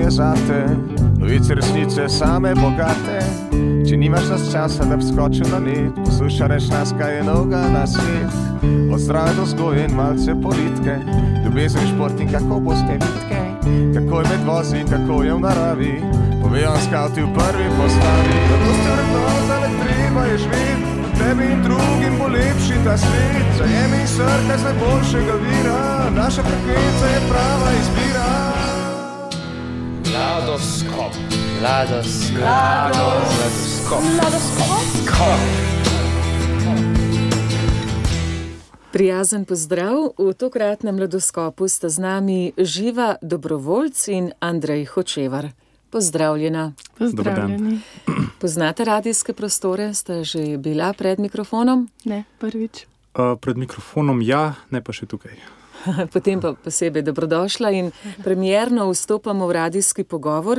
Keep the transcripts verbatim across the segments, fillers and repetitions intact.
je zate, novice resnice same bogate. Če nimaš nas časa, da bi skočil na net, posluša reč nas, kaj je novega na svet. Od zdrave do vzgoje in malce politike, ljubezen, šport in kako boste vitke, kako je med vozi in kako je v naravi, povejo vam skavti v prvi postavi. Zato ste vrednota, le treba je živeti, tebi in drugim bo lepši ta svet. Zajemi in srkaj z najboljšega vira, naša frekvenca je prava izbira. Mladoskop. Mladoskop. Mladoskop. Mladoskop. Prijazen pozdrav. V tokratnem Mladoskopu sta z nami Živa Dobrovoljc in Andrej Hočevar. Pozdravljena. Pozdravljeni. Poznate radijske prostore? Ste že bila pred mikrofonom? Ne, prvič. Uh, pred mikrofonom ja, ne pa še tukaj. Potem pa posebej dobrodošla in premierno vstopamo v radijski pogovor,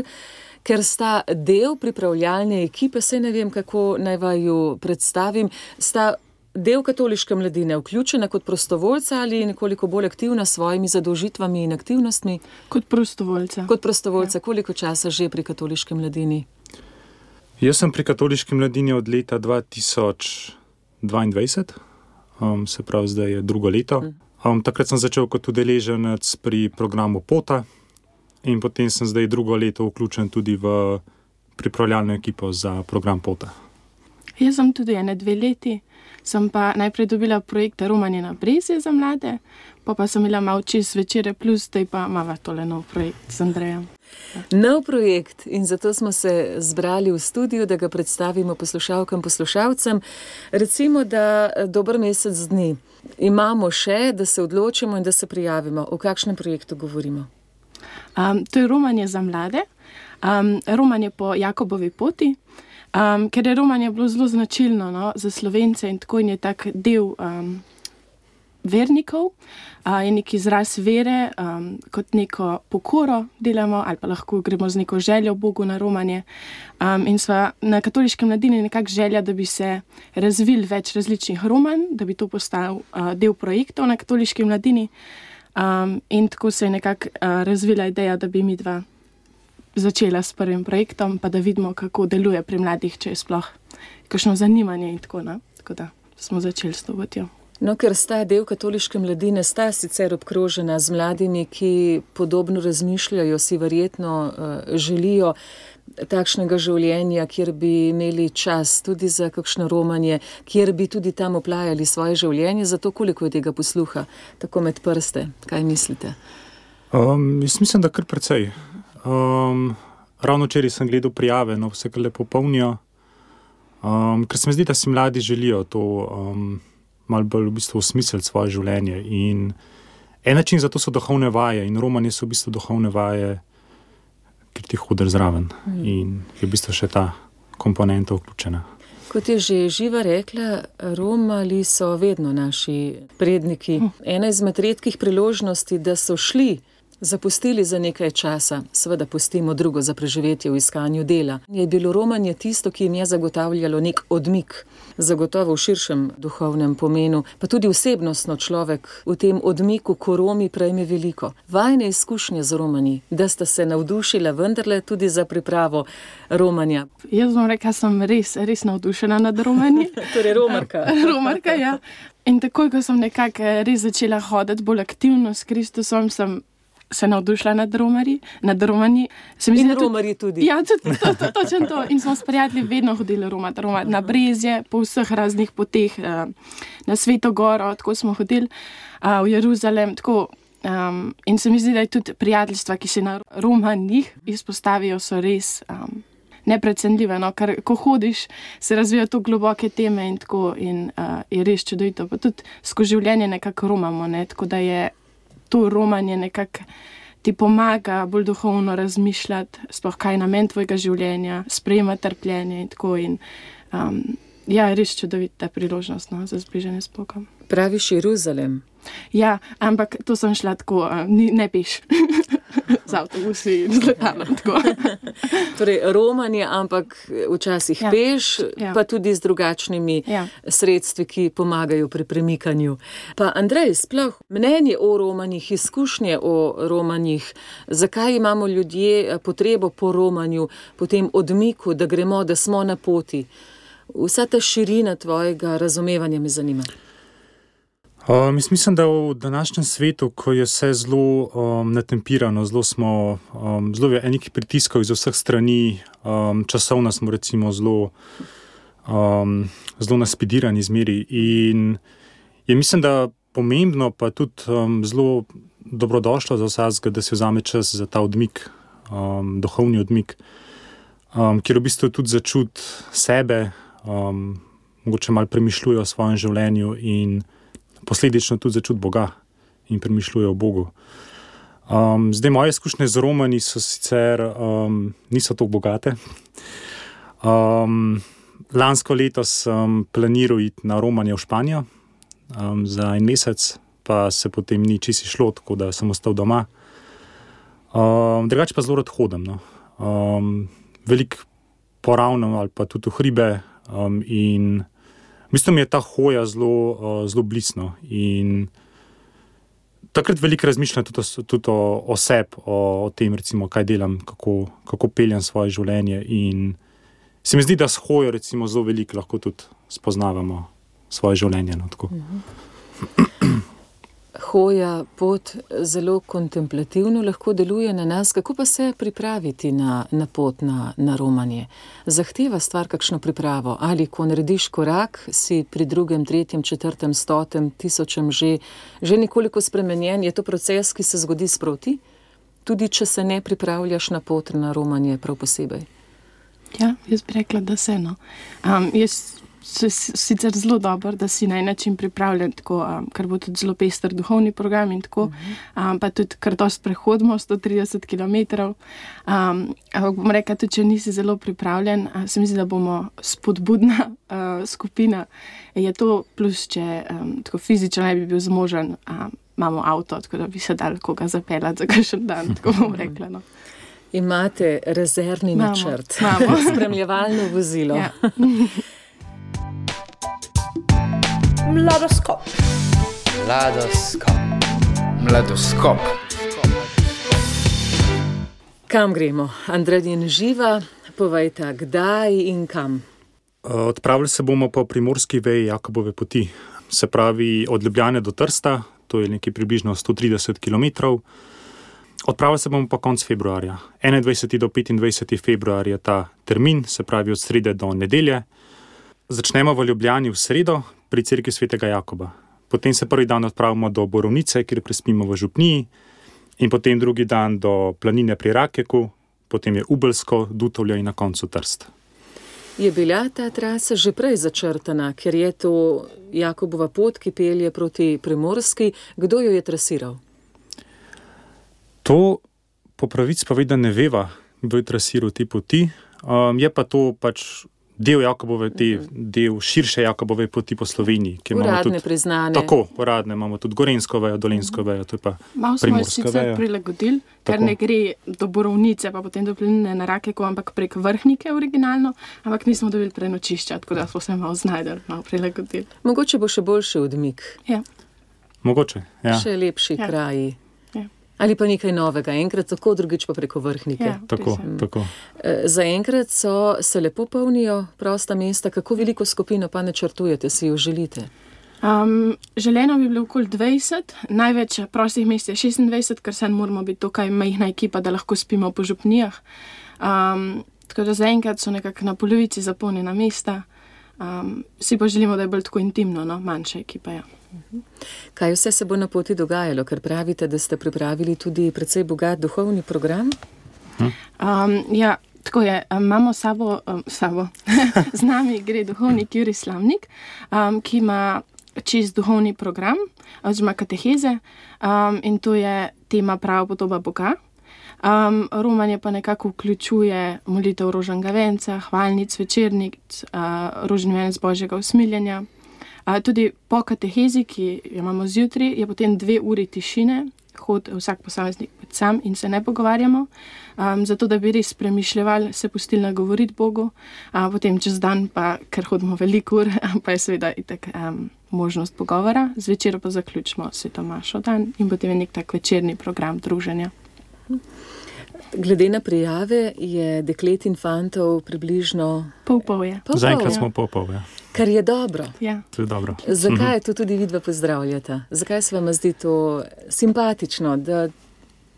ker sta del pripravljalne ekipe, saj ne vem, kako naj vaju predstavim, sta del katoliške mladine vključena kot prostovoljca ali nekoliko bolj aktivna s svojimi zadolžitvami in aktivnostmi? Kot prostovoljca. Kot prostovoljca. Ja. Koliko časa že pri katoliški mladini? Jaz sem pri katoliški mladini od leta dva tisoč dvaindvajset, um, se pravi, zdaj je drugo leto. Hmm. Um, takrat sem začel kot udeleženec pri programu Pota in potem sem zdaj drugo leto vključen tudi v pripravljalno ekipo za program Pota. Jaz sem tudi ene dve leti, sem pa najprej dobila projekt Romanje na Brezje za mlade, pa pa sem imela malo čez večere plus, zdaj pa imava tole nov projekt z Andrejem. Nov projekt in zato smo se zbrali v studiu, da ga predstavimo poslušalkam, poslušalcem. Recimo, da dober mesec dni imamo še, da se odločimo in da se prijavimo. O kakšnem projektu govorimo? Um, to je Romanje za mlade, um, Romanje po Jakobovi poti, um, ker je Romanje bilo zelo značilno, no, za Slovence in tako in je tak del um, vernikov, uh, je nek izraz vere, um, kot neko pokoro delamo ali pa lahko gremo z neko željo Bogu na romanje. Um, in sva na katoliški mladini nekak želja, da bi se razvil več različnih romanj, da bi to postal uh, del projektov na katoliški mladini. Um, in tako se je nekako uh, razvila ideja, da bi mi dva začela s prvim projektom, pa da vidimo, kako deluje pri mladih, če je sploh kakšno zanimanje in tako, ne? Tako da smo začeli s to potjo. No, ker sta del katoliške mladine, sta sicer obkrožena z mladimi, ki podobno razmišljajo, si verjetno uh, želijo takšnega življenja, kjer bi imeli čas tudi za kakšno romanje, kjer bi tudi tam oplajali svoje življenje, zato koliko je tega posluha, tako med prste, kaj mislite? Um, jaz mislim, da kar precej. Um, ravno včeraj sem gledal prijave, no, vse kar lepo polnijo, um, ker se mi zdi, da si mladi želijo to um, malo bolj v bistvu osmisliti svoje življenje. In en način za to so duhovne vaje in romanje so v bistvu duhovne vaje, ker ti hodiš zraven mm. in je v bistvu še ta komponenta vključena. Kot je že Živa rekla, romali so vedno naši predniki. Ena izmed redkih priložnosti, da so šli, zapustili za nekaj časa, seveda pustimo drugo za preživetje v iskanju dela. Je bilo romanje tisto, ki jim je zagotavljalo nek odmik, zagotovo v širšem duhovnem pomenu, pa tudi osebnostno človek v tem odmiku, ko Romi prejme veliko. Vajne izkušnje z romanji, da sta se navdušila vendarle tudi za pripravo romanja. Jaz bom rekla, sem res, res navdušena nad romanji. Torej romarka. Romarka, ja. In takoj, ko sem nekako res začela hoditi bolj aktivno s Kristusom, sem se navdušila nad romarji, nad romanji. In romarji tudi. Ja, tudi, to, to, točno to. In smo s prijatelji vedno hodili romati, romati na Brezje, po vseh raznih poteh, na Sveto Goro, tako smo hodili v Jeruzalem, tako. Um, in se mi zdi, da je tudi prijateljstva, ki se na romanjih izpostavijo, so res um, neprecenljive, no, ker ko hodiš, se razvijajo to globoke teme in tako in uh, je res čudovito. Pa tudi skozi življenje nekako romamo, ne, tako da je to romanje nekako ti pomaga bolj duhovno razmišljati, sploh kaj je namen tvojega življenja, sprejemati trpljenje in tako. In, um, ja, res čudovita priložnost, no, za zbližanje s Bogom. Praviš Jeruzalem? Ja, ampak to sem šla tako, uh, ni, ne peš. z avtobusi in z letalom. Torej, romanje, ampak včasih ja. peš, ja. pa tudi z drugačnimi ja. sredstvi, ki pomagajo pri premikanju. Pa Andrej, sploh mnenje o romanjih, izkušnje o romanjih, zakaj imamo ljudje potrebo po romanju, po tem odmiku, da gremo, da smo na poti? Vsa ta širina tvojega razumevanja me zanima. Um, mislim, da v današnjem svetu, ko je vse zelo um, natempirano, zelo smo um, zelo v enih pritiskov iz vseh strani, um, časovno smo recimo zelo, um, zelo naspidirani zmeri in je mislim, da pomembno pa tudi um, zelo dobrodošlo za vsakega, da se vzame čas za ta odmik, um, duhovni odmik, um, kjer v bistvu tudi začuti sebe, um, mogoče malo premišljuje o svojem življenju in posledično tudi začuti Boga in premišljuje o Bogu. Um, zdaj, moje izkušnje z romanji so sicer um, niso tako bogate. Um, lansko leto sem planiral iti na romanje v Španijo um, za en mesec, pa se potem ni čisto šlo, tako da sem ostal doma. Um, drugače pa zelo rad hodim. No. Um, veliko poravnam ali pa tudi v hribe um, in v bistvu mi je ta hoja zelo, uh, zelo blisno in takrat veliko razmišljam tudi, tudi o, o sebi, o, o tem, recimo, kaj delam, kako, kako peljem svoje življenje in se mi zdi, da s hojo recimo zelo veliko lahko tudi spoznavamo svoje življenje. No, tako. Hoja, pot zelo kontemplativno lahko deluje na nas. Kako pa se pripraviti na, na pot, na, na romanje? Zahteva stvar kakšno pripravo? Ali ko narediš korak, si pri drugem, tretjem, četrtem, stotem, tisočem že, že nekoliko spremenjen? Je to proces, ki se zgodi sproti? Tudi če se ne pripravljaš na pot, na romanje prav posebej? Ja, jaz bi rekla, da se no. Um, jaz sicer zelo dobro, da si na en način pripravljen, tako, um, kar bo tudi zelo pester duhovni program in tako, um, pa tudi kar dosti prehodimo, sto trideset kilometrov. Um, ampak bom rekla, tudi če nisi zelo pripravljen, uh, se mi zdi, da bomo spodbudna uh, skupina. Je to plus, če um, tako fizično ne bi bil zmožen, um, imamo avto, tako da bi se dal koga zapeljati za kakšen dan, tako bom rekla. No. Imate rezervni Mamo, načrt, mamo. spremljevalno vozilo. Ja. Mladoskop. Mladoskop. Mladoskop. Kam gremo? Andrej in Živa, povejta, kdaj in kam? Odpravili se bomo po primorski veji Jakobove poti, se pravi od Ljubljane do Trsta, to je nekaj približno sto trideset kilometrov. Odpravili se bomo pa konc februarja. enaindvajseti do petindvajseti februar je ta termin, se pravi od srede do nedelje. Začnemo v Ljubljani v sredo pri cerkvi svetega Jakoba. Potem se prvi dan odpravimo do Borovnice, kjer prespimo v župniji, in potem drugi dan do planine pri Rakeku, potem je Ubelsko, Dutovlje in na koncu Trst. Je bila ta trasa že prej začrtana, ker je to Jakobova pot, ki pelje proti Primorski. Kdo jo je trasiral? To po pravici povedano ne veva, kdo je trasiral te poti. Um, je pa to pač del Jakobove, te, del širše Jakobove poti po Sloveniji. Uradne, tudi, priznane. Tako, uradne. Imamo tudi Gorenjsko vejo, Dolenjsko vejo, to je pa malo Primorska vejo. Malo smo sicer prilagodili, ker ne gre do Borovnice, pa potem do planine na Rakeku, ampak prek Vrhnike originalno, ampak nismo dobili prenočišča, tako da smo se malo znajdeli, malo prilagodili. Mogoče bo še boljši odmik. Ja. Mogoče, ja. Še lepši ja. kraji. Ja. Ali pa nekaj novega, enkrat tako, drugič pa preko Vrhnike. Ja, tako, tako. Zaenkrat so se lepo polnijo prosta mesta. Kako veliko skupino pa načrtujete, si jo želite? Um, želeno bi bilo okoli dvajset, največ prostih mest je šestindvajset, ker se moramo biti tukaj majhna ekipa, da lahko spimo po župnijah. Um, tako da zaenkrat so nekako na polovici zapolnjena mesta. Um, si pa želimo, da je bolj tako intimno, no? Manjša ekipa, ja. Kaj vse se bo na poti dogajalo, ker pravite, da ste pripravili tudi precej bogat duhovni program? Um, ja, tako je. Imamo sabo, um, sabo. Z nami gre duhovnik Jurij Slamnik, um, ki ima čist duhovni program, oziroma kateheze, um, in to je tema prava podoba Boga. Um, romanje pa nekako vključuje molitev rožnega venca, hvalnic, večernic, uh, rožni venec Božjega usmiljenja. Uh, tudi po katehezi, ki jo imamo zjutraj, je potem dve uri tišine, hod vsak posameznik sam in se ne pogovarjamo, um, zato da bi res premišljevali, se pustili nagovoriti Bogu, a potem čez dan pa, ker hodimo veliko ur, pa je seveda itak um, možnost pogovora, zvečer pa zaključimo svetomašo dan in potem je nek tak večerni program druženja. Glede na prijave je deklet in fantov približno... Pol pol je. Pol Zaenkrat pol, smo pol pol, ja. Kar je dobro. Ja. To je dobro. Zakaj to tudi vidva pozdravljata? Zakaj se vam zdi to simpatično, da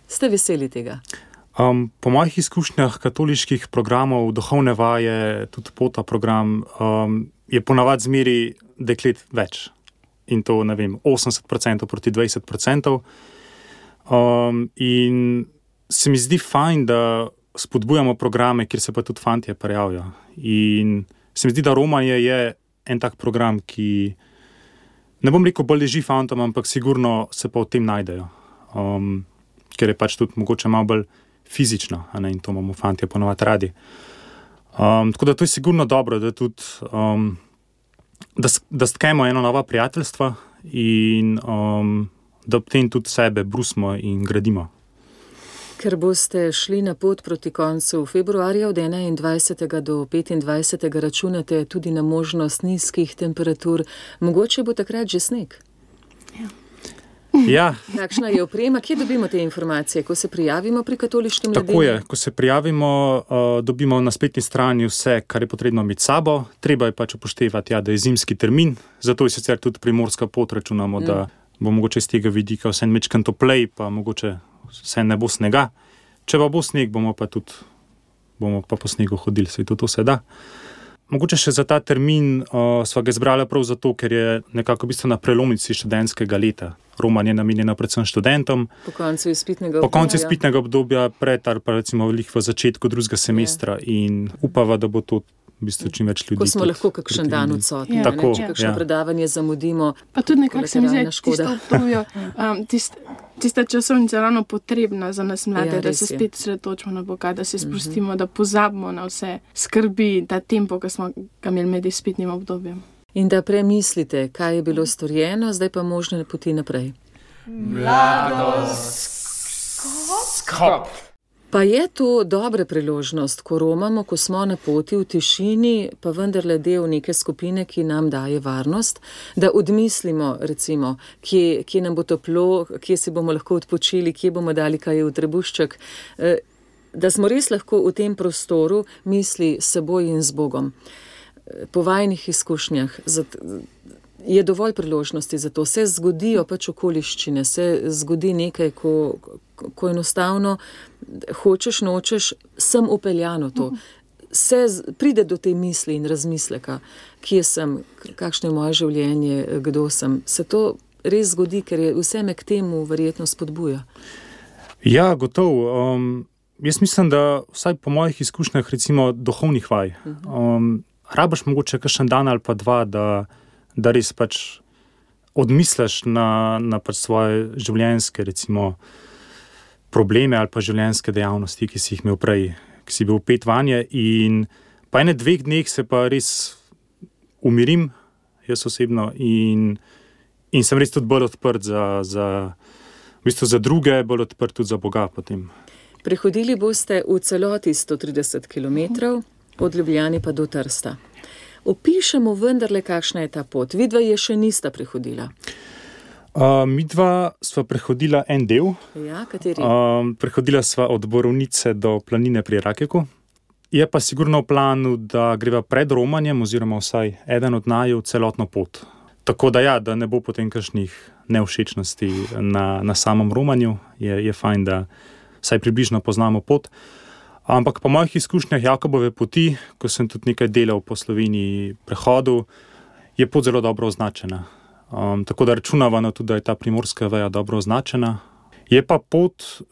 ste veseli tega? Um, po mojih izkušnjah katoliških programov, duhovne vaje, tudi pota program, um, je ponavad zmeri deklet več. In to, ne vem, osemdeset procentov proti dvajset procentov. Um, in se mi zdi fajn, da spodbujamo programe, kjer se pa tudi fantje prijavijo. In se mi zdi, da romanje je en tak program, ki, ne bom rekel, bolj leži fantom, ampak sigurno se pa v tem najdejo. Um, ker je pač tudi mogoče malo bolj fizično, a ne, in to imamo fantje ponovati radi. Um, tako da to je sigurno dobro, da tudi um, da, da stkemo eno nova prijateljstva in um, da ob tem tudi sebe brusimo in gradimo. Ker boste šli na pot proti koncu februarja od enaindvajsetega do petindvajsetega računate tudi na možnost nizkih temperatur. Mogoče bo takrat že sneg. Ja. Kakšna je oprema? Kje dobimo te informacije? Ko se prijavimo pri katoliškem ledini? Tako je, ko se prijavimo, uh, dobimo na spletni strani vse, kar je potrebno imeti sabo. Treba je pač upoštevati, ja, da je zimski termin, zato je sicer tudi primorska pot, računamo, mm. da bo mogoče z tega vidika vse mečkan toplej, pa mogoče vse ne bo snega. Če pa bo sneg, bomo pa tudi bomo pa po snegu hodili, se tudi to se da. Mogoče še za ta termin uh, sva ga izbrala prav zato, ker je nekako v bistvu na prelomnici študentskega leta. Romanje je namenjeno predvsem študentom. Po koncu izpitnega obdobja. Po koncu obdobja. izpitnega obdobja, pred ali pa recimo v začetku drugega semestra ja. In upava, da bo to v bistvu čim več ljudi. Ko smo lahko kakšen dan odsotni, ja. Tako, če kakšno ja. predavanje zamudimo. Pa tudi nekako se mi zdi, kolateralna škoda. tisto obdobje, um, tist, tista časovnica ravno potrebna za nas mlade, Ja, da res se je. spet sredotočimo na Boga, da se sprostimo, da pozabimo na vse skrbi, ta tempo, ki smo ga imeli med izpitnim obdobjem. In da premislite, kaj je bilo storjeno, zdaj pa možne poti naprej. Skop. Pa je to dobra priložnost, ko romamo, ko smo na poti v tišini, pa vendarle del neke skupine, ki nam daje varnost, da odmislimo, recimo, kje, kje nam bo toplo, kje si bomo lahko odpočili, kje bomo dali kaj v trebušček, eh, da smo res lahko v tem prostoru misli s seboj in z Bogom. Eh, Po vajnih izkušnjah zat, je dovolj priložnosti za to. Se zgodijo pač okoliščine, se zgodi nekaj, ko, ko enostavno hočeš, nočeš, sem upeljano to. Se z, pride do te misli in razmisleka, kje sem, kakšno je moje življenje, kdo sem. Se to res zgodi, ker je vse me k temu verjetno spodbuja. Ja, gotovo. Um, jaz mislim, da vsaj po mojih izkušnjah, recimo duhovnih vaj, um, rabaš mogoče kakšen dan ali pa dva, da da res pač odmisliš na, na pač svoje življenjske, recimo, probleme ali pa življenjske dejavnosti, ki si jih imel prej, ki si bil pet vanje in pa ene dveh dneh se pa res umirim, jaz osebno, in, in sem res tudi bolj odprt za, za, v bistvu za druge, bolj odprt tudi za Boga potem. Prehodili boste v celoti sto trideset kilometrov, od Ljubljane pa do Trsta. Opišemo vendarle, kakšna je ta pot. Vidva je še nista prehodila. Uh, midva sva prehodila en del. Ja, kateri? Uh, prehodila sva od Borovnice do planine pri Rakeku. Je pa sigurno v planu, da greva pred romanjem, oziroma vsaj eden od naju celotno pot. Tako da ja, da ne bo potem kakšnih nevšečnosti na, na samem romanju. Je, je fajn, da vsaj približno poznamo pot. Ampak po mojih izkušnjah Jakobove poti, ko sem tudi nekaj delal po Sloveniji prehodu, je pot zelo dobro označena. Um, tako da računava na tudi, da je ta primorska veja dobro označena. Je pa pot,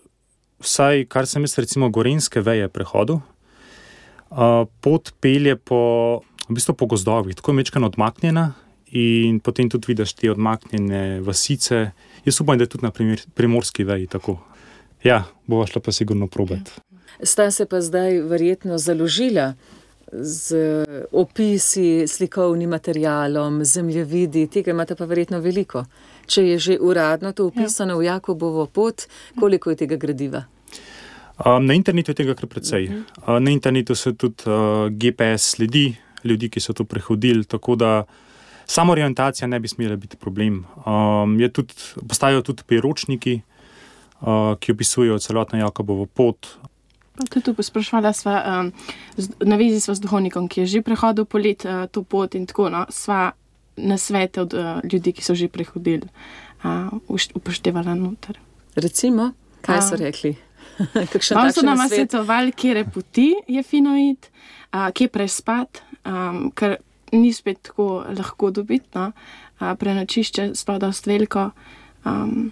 vsaj kar sem jaz recimo gorenjske veje prehodu, uh, pot pelje po, v bistvu po gozdovih, tako je mečkano odmaknjena in potem tudi vidiš te odmaknjene vasice. Jaz upam, da je tudi na primer, primorski veji tako. Ja, bova šla pa sigurno probati. Sta se pa zdaj verjetno založila z opisi, slikovnim materialom, zemljevidi, tega imate pa verjetno veliko. Če je že uradno to upisano ja. v Jakobovo pot, koliko je tega gradiva? Um, na internetu je tega kar precej. Uh, na internetu so tudi uh, G P S sledi ljudi, ki so to prehodili, tako da samo orientacija ne bi smela biti problem. Um, je tudi, postajajo tudi priročniki, uh, ki opisujejo celotno Jakobovo pot. Pa tudi sprašvala sva, um, na vezi sva z duhovnikom, ki je že prehodil po let uh, to pot in tako, no, sva na svete od uh, ljudi, ki so že prehodili, uh, upoštevala noter. Recimo, kaj so rekli? Malo so nama svetovali, kjere poti je fino iti, uh, kje prespat, um, ker ni spet tako lahko dobiti, no? uh, prenočišče sploh dost veliko. Um,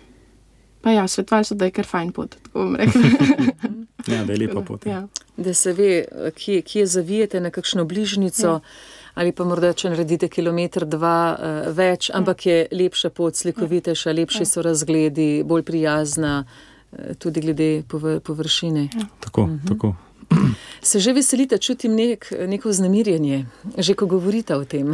pa ja, svetovali so, da je kar fajn pot, tako bom rekla. Ja, da je lepa pot. Ja. Da se ve, kje, kje zavijete na kakšno bližnico, ja. ali pa morda, če naredite kilometer, dva uh, več, ja. ampak je lepša pot, slikovitejša, lepši ja. so razgledi, bolj prijazna, uh, tudi glede povr površine. Ja. Tako, mhm. tako. Se že veselite, čutim nek, neko vznemirjenje, že ko govorite o tem?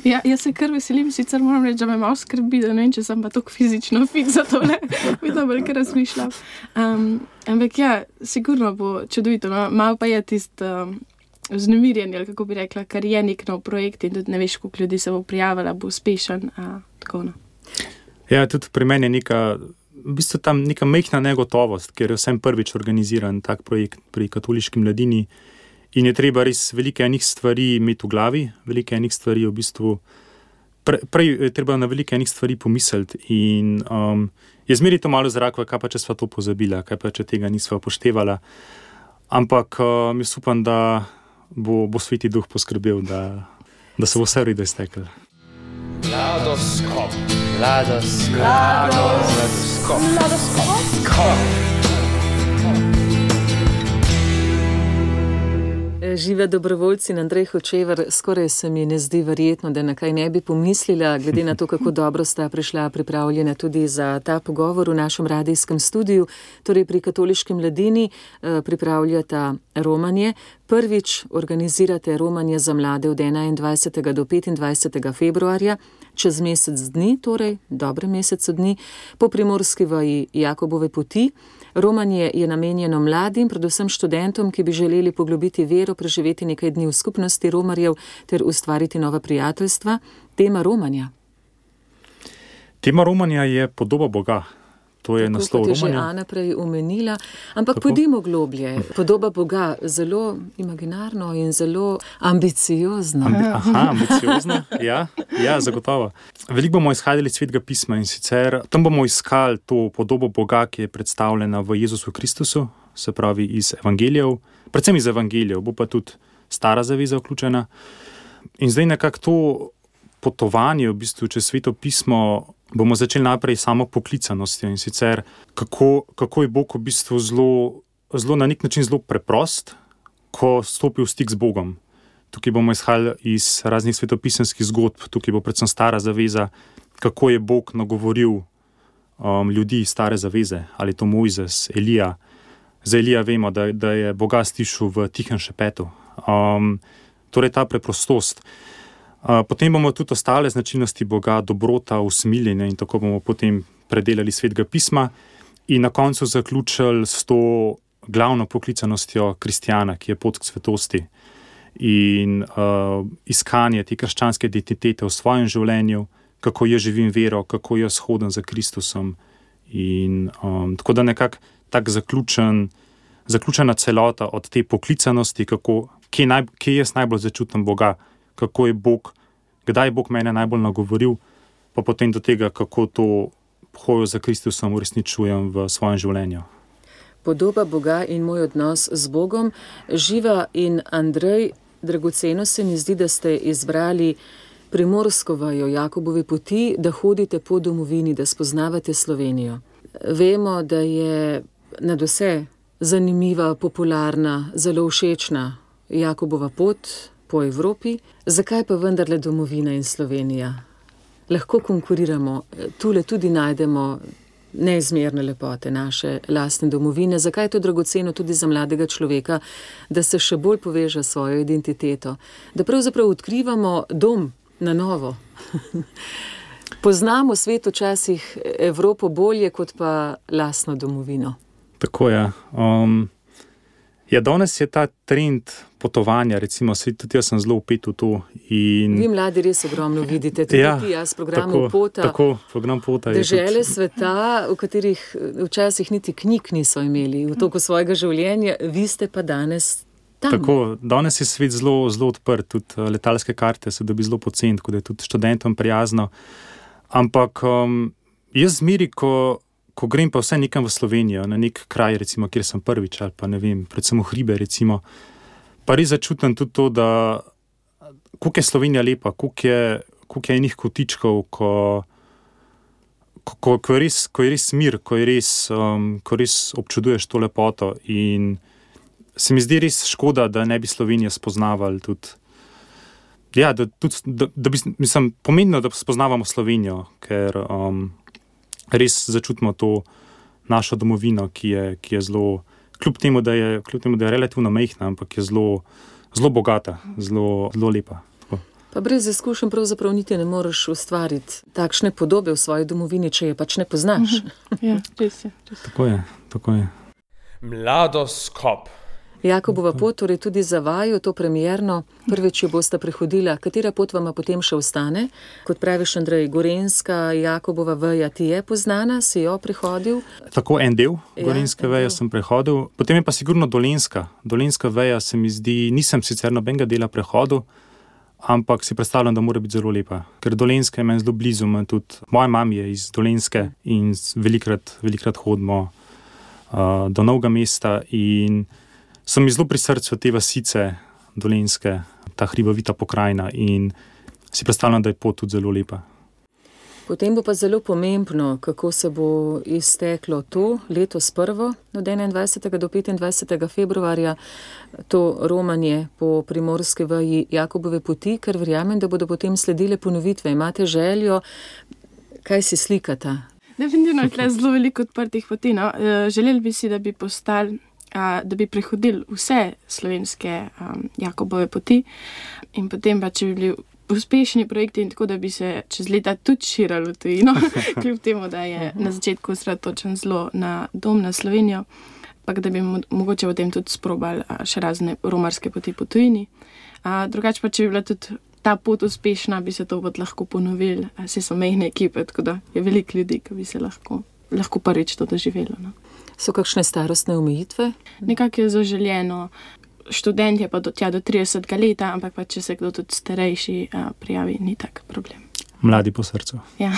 Ja, jaz se kar veselim, sicer moram reči, da me malo skrbi, da ne vem, če sem pa tako fizično fit za tole, bi dobro kar razmišljal. Um, ampak ja, sigurno bo čudovito, no? Malo pa je tist um, vznemirjenje, ali kako bi rekla, kar je nek nov projekt in tudi ne veš, koliko ljudi se bo prijavila, bo uspešen, a, tako no. Ja, tudi pri meni je neka v bistvu tam neka majhna negotovost, ker je vsem prvič organiziran tak projekt pri katoliški mladini in je treba res velike enih stvari imeti v glavi, velike enih stvari v bistvu, pre, prej je treba na velike enih stvari pomisliti in um, je zmeri to malo zrakva, kaj pa če sva to pozabila, kaj pa če tega nisva upoštevala, ampak um, jaz upam, da bo, bo Sveti Duh poskrbel, da, da se bo vse v redu izteklo. Ladoskop. Ladoskop. Ladoskop. Ladoskop. Žive dobrovoljci in Andrej Hočevar, skoraj se mi ne zdi verjetno, da na kaj ne bi pomislila, glede na to, kako dobro sta prišla pripravljena tudi za ta pogovor v našem radijskem studiu, torej pri katoliški mladini pripravljata romanje. Prvič organizirate romanje za mlade od enaindvajsetega do petindvajsetega februarja, čez mesec dni, torej dobre mesec dni, po primorski vaji Jakobove poti. Romanje je namenjeno mladim, predvsem študentom, ki bi želeli poglobiti vero, preživeti nekaj dni v skupnosti romarjev ter ustvariti nova prijateljstva. Tema romanja. Tema romanja je podoba Boga. To je tako, naslov romanja. Tako kot je že Ana prej omenila, ampak tako? Pojdimo globlje. Podoba Boga, zelo imaginarno in zelo ambiciozno. Ambi aha, ambiciozno, ja, ja, zagotovo. Veliko bomo izhajali iz Svetega pisma in sicer tam bomo iskali to podobo Boga, ki je predstavljena v Jezusu Kristusu, se pravi iz evangelijev, predvsem iz evangelijev, bo pa tudi stara zaveza vključena. In zdaj nekako to potovanje v bistvu čez Sveto pismo bomo začeli najprej samo poklicanostjo in sicer kako, kako je Bog v bistvu zelo, zelo na nek način zelo preprost, ko stopi v stik z Bogom. Tukaj bomo izhajali iz raznih svetopisemskih zgodb, tukaj bo predvsem stara zaveza, kako je Bog nagovoril um, ljudi iz stare zaveze, ali to Mojzes, Elija. Za Elija vemo, da, da je Boga stišal v tihem šepetu. Um, torej ta preprostost. Uh, potem bomo tudi ostale značilnosti Boga, dobrota, usmiljenje in tako bomo potem predelali Svetega pisma in na koncu zaključili s to glavno poklicanostjo kristjana, ki je pot k svetosti in uh, iskanje te krščanske identitete v svojem življenju, kako jaz živim vero, kako jaz hodim za Kristusom in um, tako da nekako tak zaključen, zaključena celota od te poklicanosti, kako, kje, naj, kje jaz najbolj začutim Boga, kako je Bog, kdaj je Bog mene najbolj nagovoril, pa potem do tega, kako to hojo za Kristusom uresničujem v svojem življenju. Podoba Boga in moj odnos z Bogom. Živa in Andrej, dragoceno se mi zdi, da ste izbrali primorsko vajo Jakobove poti, da hodite po domovini, da spoznavate Slovenijo. Vemo, da je nadvse zanimiva, popularna, zelo všečna Jakobova pot po Evropi. Zakaj pa vendarle domovina in Slovenija? Lahko konkuriramo, tule tudi najdemo neizmerne lepote naše lastne domovine. Zakaj je to dragoceno tudi za mladega človeka, da se še bolj poveže s svojo identiteto? Da pravzaprav odkrivamo dom na novo. Poznamo svet včasih Evropo bolje, kot pa lastno domovino. Tako je. Um, ja, danes je ta trend potovanja, recimo, tudi jaz sem zelo vpet v to. In... Vi mladi res ogromno vidite, tudi ja, ti, jaz programov Pota. Tako, program Pota. Dežele tudi... sveta, v katerih včasih niti knjig niso imeli v toku svojega življenja, vi ste pa danes tam. Tako, danes je svet zelo, zelo odprt, tudi letalske karte se dobi zelo poceni, tako da je tudi študentom prijazno. Ampak um, jaz zmeri, ko ko grem pa vse nekam v Slovenijo, na nek kraj, recimo, kjer sem prvič, ali pa ne vem, predvsem v hribe, recimo, pa res začutim tudi to, da koliko je Slovenija lepa, koliko je, koliko je enih kotičkov, ko, ko, ko, je res, ko je res mir, ko, je res, um, ko res občuduješ to lepoto in se mi zdi res škoda, da ne bi Slovenijo spoznavali tudi. Ja, da, tudi, da, da bi, mislim, pomembno, da spoznavamo Slovenijo, ker um, res začutimo to našo domovino, ki je, ki je zelo, kljub temu, da je, kljub temu, da je relativno majhna, ampak je zelo, zelo bogata, zelo, zelo lepa. Tako. Pa brez izkušenj pravzaprav niti ne moreš ustvariti takšne podobe v svoji domovini, če je pač ne poznaš. Ja, res je. Res. Tako je, tako je. Mladoskop. Jakobova pot, torej tudi za vaju, to premierno, prvič jo boste prehodila. Katera pot vama potem še ostane? Kot praviš, Andrej, Gorenjska, Jakobova veja ti je poznana, si jo prehodil? Tako en del Gorenjske ja, veje sem prehodil, potem je pa sigurno Dolenjska. Dolenjska veja se mi zdi, nisem sicer nobenega dela prehodil, ampak si predstavljam, da mora biti zelo lepa. Ker Dolenjska je meni zelo blizu, tudi moja mama je iz Dolenjske in velikrat, velikrat hodimo uh, do Novega mesta in so mi zelo pri srcu te vasice Dolenjske, ta hribovita pokrajina in si predstavljam, da je pot tudi zelo lepa. Potem bo pa zelo pomembno, kako se bo izteklo to letos prvo, od enaindvajsetega do petindvajsetega februarja, to romanje po primorski veji Jakobove poti, ker verjamem, da bodo potem sledile ponovitve. Imate željo, kaj si slikata? Definitivno je tle zelo veliko odprtih poti. No? Želeli bi si, da bi postali da bi prehodili vse slovenske um, Jakobove poti in potem pa, če bi bili uspešni projekti in tako, da bi se čez leta tudi širili v tujino, kljub temu, da je na začetku osredotočen zelo na dom, na Slovenijo, pa da bi mo- mogoče potem tudi sprobali a, še razne romarske poti po tujini. A, drugače pa, če bi bila tudi ta pot uspešna, bi se to pot lahko ponovili, vse so mejne ekipe, tako da je veliko ljudi, ki bi se lahko, lahko prvič to doživelo. No. So kakšne starostne omejitve? Nekako je zaželjeno, študent je pa do, tja do tridesetega leta, ampak pa če se kdo tudi starejši a, prijavi, ni tak problem. Mladi po srcu. Ja.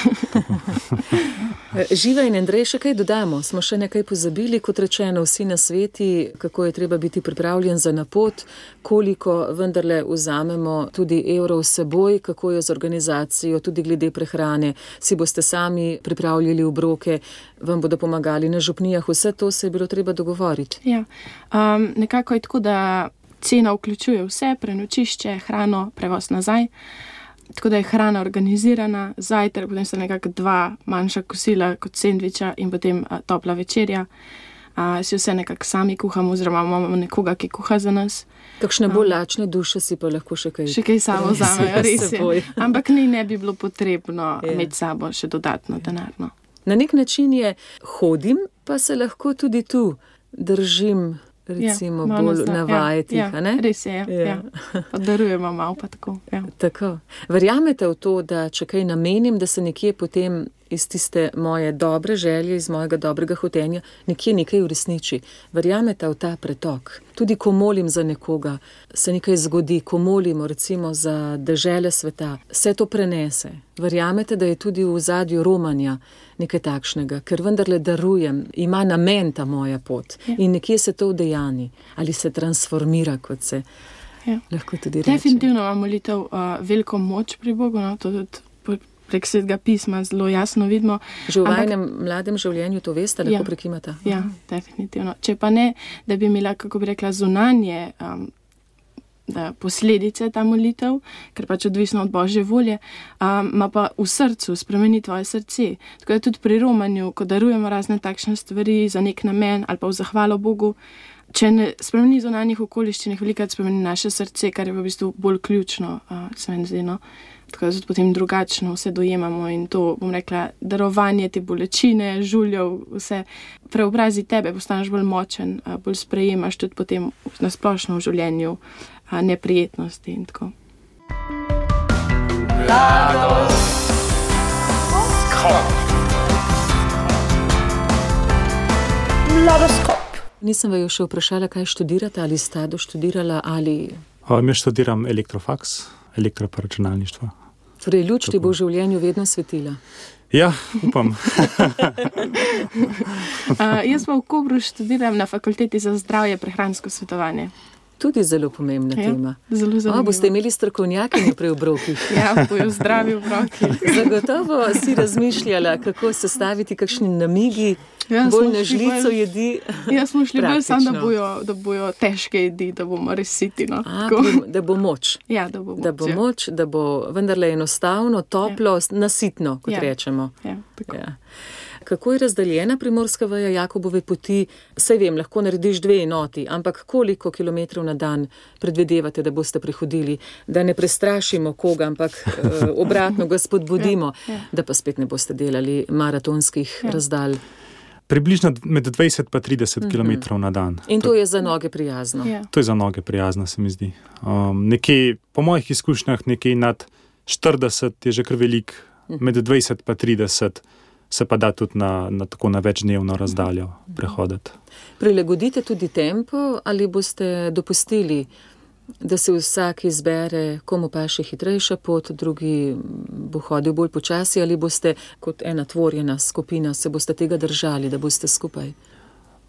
Živa in Andrej, še kaj dodamo? Smo še nekaj pozabili, kot rečeno, vsi na sveti, kako je treba biti pripravljen za napot, koliko vendarle vzamemo tudi evrov s seboj, kako je z organizacijo, tudi glede prehrane, si boste sami pripravljali obroke, vam bodo pomagali na župnijah, vse to se je bilo treba dogovoriti. Ja. Um, nekako je tako, da cena vključuje vse, prenočišče, hrano, prevoz nazaj. Tako da je hrana organizirana, zajtrk, potem so nekako dva manjša kosila kot sendviča in potem a, topla večerja. A, si vse nekako sami kuhamo, oziroma imamo nekoga, ki kuha za nas. Kakšne bolj lačne duše si pa lahko še kaj... Še kaj samo vzamejo, res je. Ampak ni ne bi bilo potrebno je. imeti sabo še dodatno denarno. Na nek način je hodim, pa se lahko tudi tu držim, recimo, ja, bolj navajati, ja, a ne? Ja, res je, ja. ja. Podarujemo malo pa tako. Ja. Tako. Verjamete v to, da če kaj namenim, da se nekje potem iz tiste moje dobre želje, iz mojega dobrega hotenja, nekje nekaj uresniči. Verjamete v ta pretok. Tudi ko molim za nekoga, se nekaj zgodi, ko molimo recimo za dežele sveta, se to prenese. Verjamete, da je tudi v ozadju romanja nekaj takšnega, ker vendarle darujem, ima namen ta moja pot ja. In nekje se to udejani ali se transformira, kot se ja. lahko tudi reče. Definitivno ima molitev uh, veliko moč pri Bogu, no? To tudi prek Svetega pisma zelo jasno vidimo. Že v vajnem mladem življenju to veste, lahko ja, prekimata? Ja, definitivno. Če pa ne, da bi imela, kako bi rekla, zunanje um, da posledice ta molitev, ker pač odvisno od Božje volje, um, ima pa v srcu spremeni tvoje srce. Tako da tudi pri romanju, ko darujemo razne takšne stvari za nek namen ali pa v zahvalo Bogu, če ne spremeni zunanjih okoliščin, velikokrat spremeni naše srce, kar je v bistvu bolj ključno, uh, se meni zdi, no. Tako da potem drugačno vse dojemamo in to, bom rekla, darovanje te bolečine, žuljev, vse preobrazi tebe, postaneš bolj močen, uh, bolj sprejemaš tudi potem na splošno v življenju uh, neprijetnosti in tako. Mladoskop. Nisem vaju še vprašala, kaj študirate, ali sta doštudirala, ali... O, jaz študiram elektrofaks, elektroparačunalništvo. Torej, luč ti bo v življenju vedno svetila. Ja, upam. uh, jaz pa v Kopru študiram na fakulteti za zdravje prehransko svetovanje. Tudi zelo pomembna Ja, tema. zelo zanimivo. O, boste imeli strokovnjakinje pri obrokih. Ja, bojo zdravi obroki. Zagotovo si razmišljala, kako sestaviti kakšni namigi, Ja, bolj smo na šli žlico bolj- jedi. Jaz smo šli bolj sam, da Praktično. bojo, da bojo težke jedi, da bomo res siti. No. A, Tako. prim- da bo moč. Ja, da bo, Da bo ja. moč, da bo vendarle enostavno, toplo, nasitno, kot Ja. rečemo. Ja, tako. Ja. Kako je razdeljena primorska veja Jakobove poti? Saj vem, lahko narediš dve enoti, ampak koliko kilometrov na dan predvidevate, da boste prehodili? Da ne prestrašimo koga, ampak eh, obratno ga spodbudimo, Ja, ja. da pa spet ne boste delali maratonskih Ja. razdalj. Približno med dvajset pa trideset kilometrov na dan. In to je za noge prijazno. Ja. To je za noge prijazno, se mi zdi. Um, nekje, po mojih izkušnjah, nekje nad štirideset je že kar velik, med dvajset pa trideset se pa da tudi na, na, tako na večdnevno razdaljo prehoditi. Prilagodite tudi tempo ali boste dopustili, da se vsak izbere, komu paše hitrejša pot, drugi bo hodil bolj počasi, ali boste kot ena tvorjena skupina, se boste tega držali, da boste skupaj?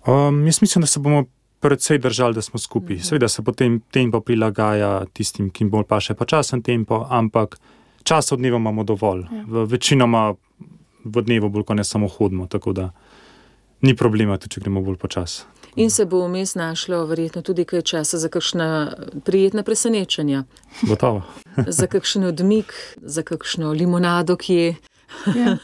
Um, jaz mislim, da se bomo predvsej držali, da smo skupaj. Seveda se potem tempo prilagaja tistim, ki jim bolj paše počasen tempo, ampak čas od dneva imamo dovolj. V večinoma v dnevu bolj, ko ne samo hodimo, tako da ni problema, tudi če gremo bolj počas. In se bo vmes našlo verjetno tudi kaj časa za kakšna prijetna presenečenja, Gotovo. za kakšen odmik, za kakšno limonado, ki je Ja.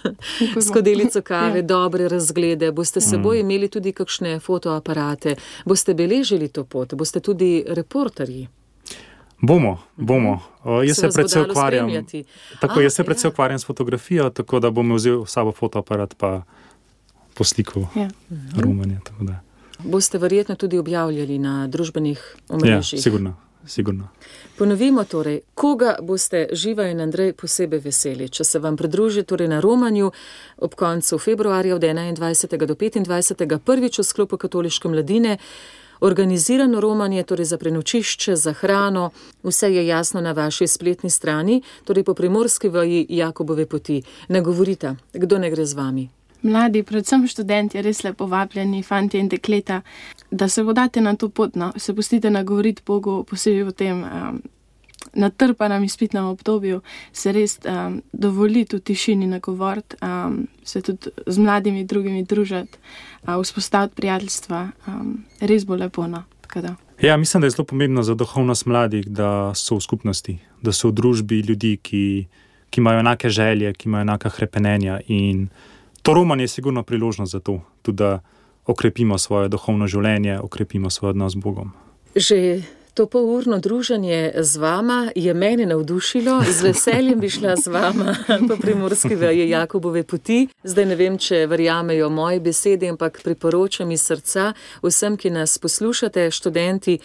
skodelico kave, dobre razglede, boste s seboj imeli tudi kakšne fotoaparate, boste beležili to pot, boste tudi reporterji. Bomo, bomo. O, jaz Se se vas bo predvsej dalo ukvarjam. spremljati? Tako, A, jaz se ja. predvsej ukvarjam s fotografijo, tako da bom vzel s sabo fotoaparat pa poslikal Ja. romanje. Tako da. Boste verjetno tudi objavljali na družbenih Ja, omrežjih. sigurno, sigurno. Ponovimo torej, koga boste Živa in Andrej posebej veseli, če se vam pridruži torej na romanju ob koncu februarja od enaindvajsetega do petindvajsetega prvič v sklopu Katoliške mladine. Organizirano romanje, torej za prenočišče, za hrano, vse je jasno na vaši spletni strani, torej po primorski veji Jakobove poti. Ne govorite, kdo ne gre z vami? Mladi, predvsem študenti, res lepo vabljeni, fantje in dekleta, da se vodate na to pot, no, se pustite nagovoriti Bogu, posebej v tem um, natrpanem izpitnem obdobju, se res um, dovoliti v tišini nagovoriti, um, se tudi z mladimi drugimi družiti, uh, vzpostaviti prijateljstva, um, res bo lepo, no, tako da. Ja, mislim, da je zelo pomembno za duhovnost mladih, da so v skupnosti, da so v družbi ljudi, ki, ki imajo enake želje, ki imajo enaka hrepenenja, in to romanje je sigurno priložnost za to, tudi da okrepimo svoje duhovno življenje, okrepimo svoj odnos z Bogom. Že to polurno druženje z vama je mene navdušilo, z veseljem bi šla z vama po primorski veji Jakobove poti. Zdaj ne vem, če verjamejo moje besede, ampak priporočam iz srca vsem, ki nas poslušate, študenti,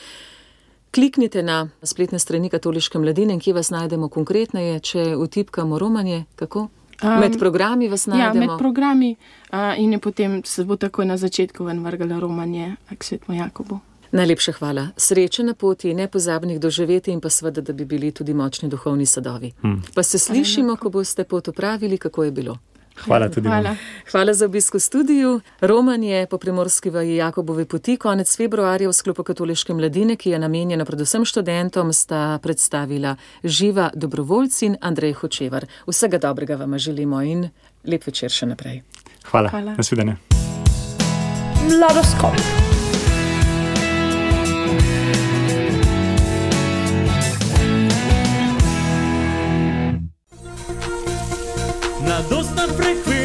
kliknite na spletne strani Katoliške mladine in kje vas najdemo konkretneje, če vtipkamo romanje, kako? Um, Med programi vas Ja, najdemo? med programi uh, in je potem se bo takoj na začetku ven vrgala romanje k svetemu Jakobu. Najlepša hvala. Sreče na poti, nepozabnih doživetij in pa seveda, da bi bili tudi močni duhovni sadovi. Hmm. Pa se slišimo, ko boste pot opravili, kako je bilo. Hvala tudi vam. Hvala. Hvala za obisk v studiu. Romanje po primorski veji Jakobove poti konec februarja v sklopu Katoliške mladine, ki je namenjena predvsem študentom, sta predstavila Živa Dobrovoljci in Andrej Hočevar. Vsega dobrega vam želimo in lep večer še naprej. Hvala. Hvala. Nasvidenje. Mladoskop. Na dosta frekvenca